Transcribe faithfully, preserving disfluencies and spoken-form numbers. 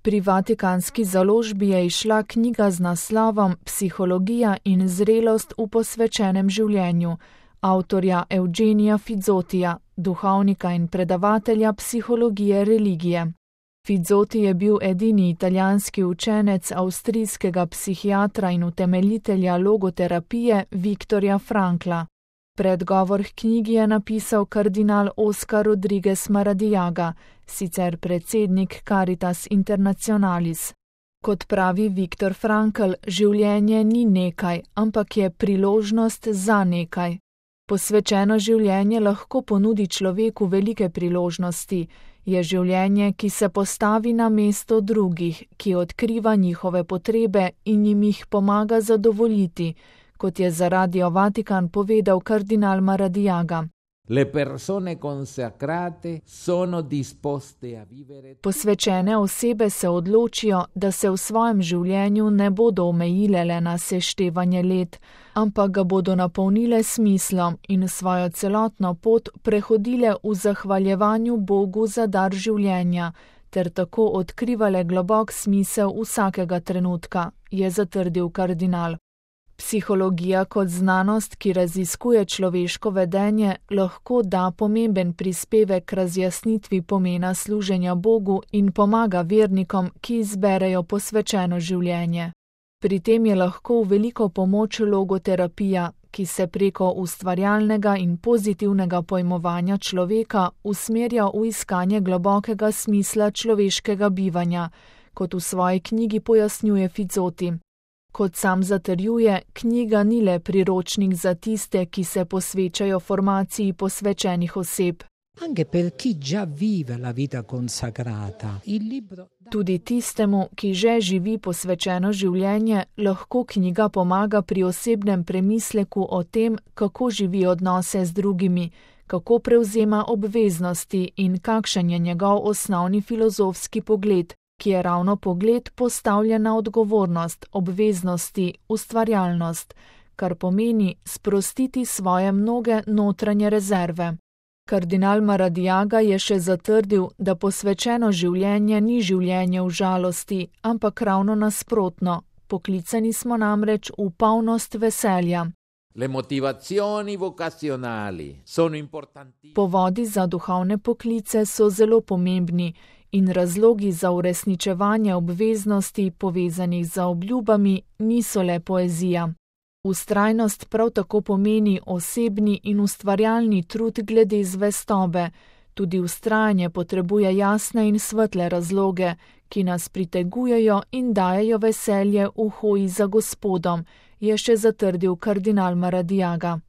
Pri vatikanski založbi je izšla knjiga z naslovom Psihologija in zrelost v posvečenem življenju, avtorja Eugenija Fizzotija, duhovnika in predavatelja psihologije religije. Fizzoti je bil edini italijanski učenec avstrijskega psihiatra in utemeljitelja logoterapije Viktorja Frankla. Predgovor k knjigi je napisal kardinal Oscar Rodriguez Maradiaga, sicer predsednik Caritas Internationalis. Kot pravi Viktor Frankl, življenje ni nekaj, ampak je priložnost za nekaj. Posvečeno življenje lahko ponudi človeku velike priložnosti, je življenje, ki se postavi na mesto drugih, ki odkriva njihove potrebe in jim jih pomaga zadovoljiti, kot je za Radio Vatikan povedal kardinal Maradiaga. Le persone consacrate sono disposte a vivere. Posvečene osebe se odločijo, da se v svojem življenju ne bodo omejile le na seštevanje let, ampak ga bodo napolnile s smislom in svojo celotno pot prehodile v zahvaljevanju Bogu za dar življenja, ter tako odkrivale globok smisel vsakega trenutka, je zatrdil kardinal. Psihologija kot znanost, ki raziskuje človeško vedenje, lahko da pomemben prispevek k razjasnitvi pomena služenja Bogu in pomaga vernikom, ki izberejo posvečeno življenje. Pri tem je lahko v veliko pomoč logoterapija, ki se preko ustvarjalnega in pozitivnega pojmovanja človeka usmerja v iskanje globokega smisla človeškega bivanja, kot v svoji knjigi pojasnjuje Fizzoti. Kot sam zatrjuje, knjiga ni le priročnik za tiste, ki se posvečajo formaciji posvečenih oseb. Anche per chi già vive la vita consacrata. Il libro... Tudi tistemu, ki že živi posvečeno življenje, lahko knjiga pomaga pri osebnem premisleku o tem, kako živi odnose z drugimi, kako prevzema obveznosti in kakšen je njegov osnovni filozofski pogled, ki je ravno pogled postavljen na odgovornost, obveznosti, ustvarjalnost, kar pomeni sprostiti svoje mnoge notranje rezerve. Kardinal Maradiaga je še zatrdil, da posvečeno življenje ni življenje v žalosti, ampak ravno nasprotno, poklicani smo namreč v polnost veselja. Le motivazioni vocazionali sono importanti. Povodi za duhovne poklice so zelo pomembni in razlogi za uresničevanje obveznosti povezanih z obljubami niso le poezija. Vztrajnost prav tako pomeni osebni in ustvarjalni trud glede zvestobe. Tudi vztrajanje potrebuje jasne in svetle razloge, ki nas pritegujejo in dajejo veselje v hoji za Gospodom, je še zatrdil kardinal Maradiaga.